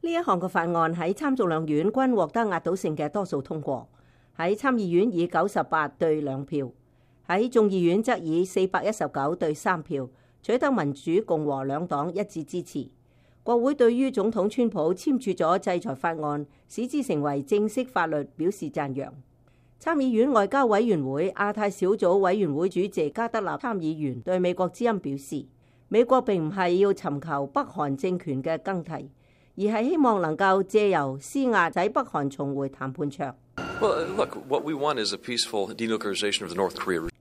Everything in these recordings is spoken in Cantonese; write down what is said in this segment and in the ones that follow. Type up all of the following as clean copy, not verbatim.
呢一項嘅法案喺參眾兩院均獲得壓倒性嘅多數通過，喺參議院以98對2票，喺眾議院則以419對3票取得民主共和兩黨一致支持。國會對於總統川普簽署咗制裁法案，使之成為正式法律表示讚揚。參議院外交委員會亞太小組委員會主席加德納參議員對美國之音表示，美國並唔係要尋求北韓政權嘅更替，而係希望能夠借由施壓使北韓重回談判桌。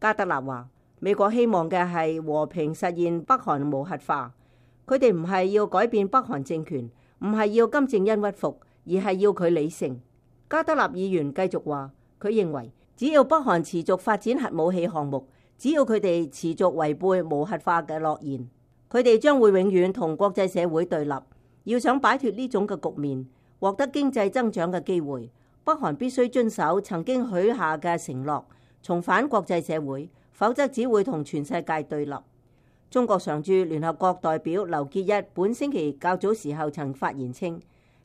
加德納話，美國希望嘅係和平實現北韓無核化，佢哋唔係要改變北韓政權，唔係要金正恩屈服，而係要佢理性。加德納議員繼續話，佢認為只要北韓持續發展核武器項目，只要佢哋持續違背無核化嘅諾言，佢哋將會永遠同國際社會對立。要想擺脫呢種嘅局面，獲得經濟增長嘅機會，北韓必須遵守曾經許下嘅承諾，重返國際社會，否則只會同全世界對立。中國常駐聯合國代表劉結一本星期較早時候曾發言稱，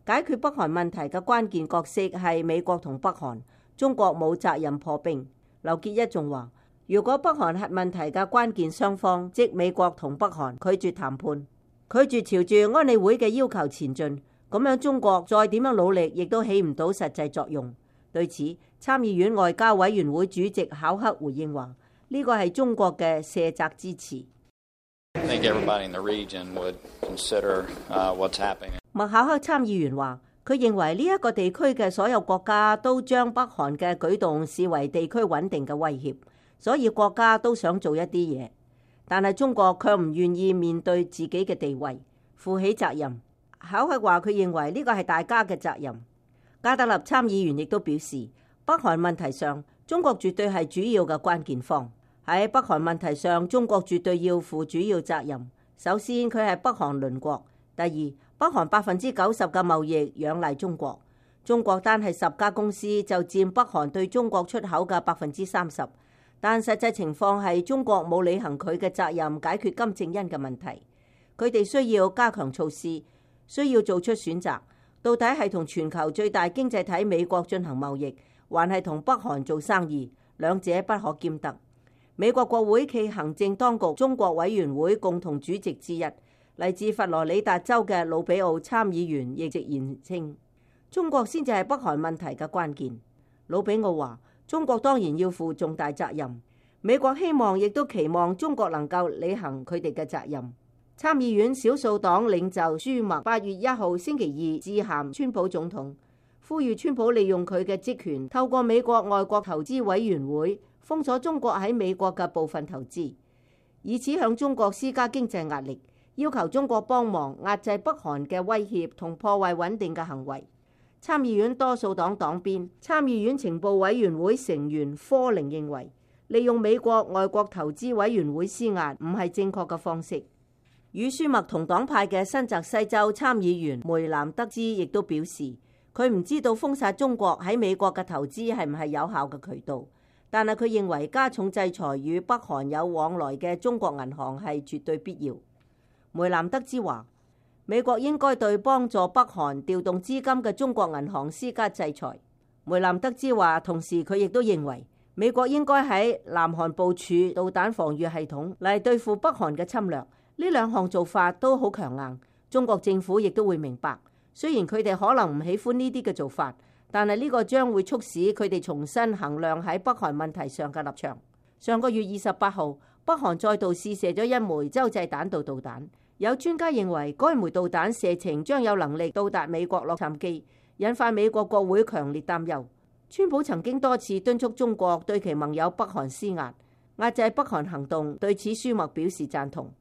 解決北韓問題嘅關鍵角色係美國同北韓，中國冇責任破冰。劉結一仲話，如果北韓核問題嘅關鍵雙方即美國同北韓拒絕談判，拒絕朝住安理會嘅要求前進，咁樣中國再點樣努力亦都起唔到實際作用。對此，參議院外交委員會主席考克回應話，呢個係中國嘅卸責之詞。麥考克參議員話，佢認為呢一個地區嘅所有國家都將北韓嘅舉動視為地區穩定嘅威脅，所以國家都想做一啲嘢，但係中國卻唔願意面對自己嘅地位，負起責任。考克話佢認為呢個係大家嘅責任。加德納參議員亦都表示，北韓問題上，中國絕對係主要嘅關鍵方。喺北韓問題上，中國絕對要負主要責任。首先，佢係北韓鄰國；第二，北韓90%嘅貿易仰賴中國，中國單係10家公司就佔北韓對中國出口嘅30%。但實際情況係中國冇履行佢嘅責任，解決金正恩嘅問題。佢哋需要加強措施，需要做出選擇，到底係同全球最大經濟體美國進行貿易，還係同北韓做生意？兩者不可兼得。美國國會暨行政當局中國委員會共同主席之一，嚟自佛羅里達州嘅魯比奧參議員亦直言稱，中國先至係北韓問題嘅關鍵。魯比奧話，中國當然要負重大責任，美國希望亦都期望中國能夠履行佢哋嘅責任。參議院少數黨領袖舒默8月1號星期二致函川普總統，呼籲川普利用佢嘅職權，透過美國外國投資委員會封鎖中國喺美國嘅部分投資，以此向中國施加經濟壓力，要求中國幫忙壓制北韓嘅威脅同破壞穩定嘅行為。參議院多數黨黨鞭參議院情報委員會成員科寧認為，利用美國外國投資委員會施壓唔係正確嘅方式。與舒默同黨派嘅新澤西州參議員梅南德茲亦都表示，佢唔知道封殺中國喺美國嘅投資係唔係有效嘅渠道，但係佢認為加重制裁與北韓有往來嘅中國銀行係絕對必要。梅南德茲話，美國應該對幫助北韓調動資金嘅中國銀行施加制裁。梅南德茲話，同時佢亦都認為美國應該喺南韓部署導彈防禦系統嚟對付北韓嘅侵略。呢兩項做法都好強硬，中國政府亦都會明白。雖然佢哋可能唔喜歡呢啲嘅做法，但係呢個將會促使佢哋重新衡量喺北韓問題上嘅立場。上個月28號，北韓再度試射咗一枚洲際彈道導彈，有專家認為該枚導彈射程將有能力到達美國洛杉磯，引發美國國會強烈擔憂。川普曾經多次敦促中國對其盟友北韓施壓，壓制北韓行動，對此舒默表示贊同。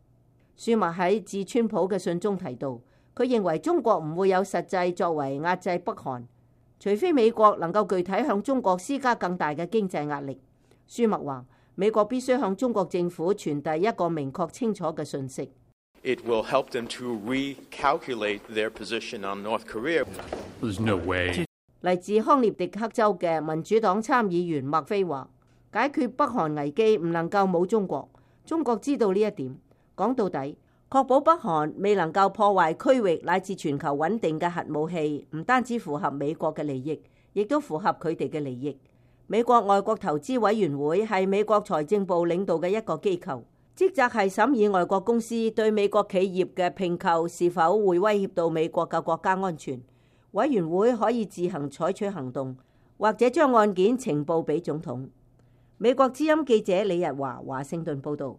舒默喺致川普嘅信中提到，佢認為中國唔會有實際作為壓制北韓，除非美國能夠具體向中國施加更大嘅經濟壓力。舒默話，美國必須向中國政府傳遞一個明確清楚嘅訊息。It will help them to recalculate their position on North Korea. There's no way. 嚟自康涅狄克州嘅民主黨參議員麥菲話，解決北韓危機唔能夠冇中國，中國知道呢一點。講到底，確保北韓未能夠破壞區域乃至全球穩定嘅核武器，唔單止符合美國嘅利益，亦都符合佢哋嘅利益。美國外國投資委員會係美國財政部領導嘅一個機構，職責係審議外國公司對美國企業嘅併購是否會威脅到美國嘅國家安全。委員會可以自行採取行動，或者將案件呈報俾總統。美國之音記者李日華華盛頓報導。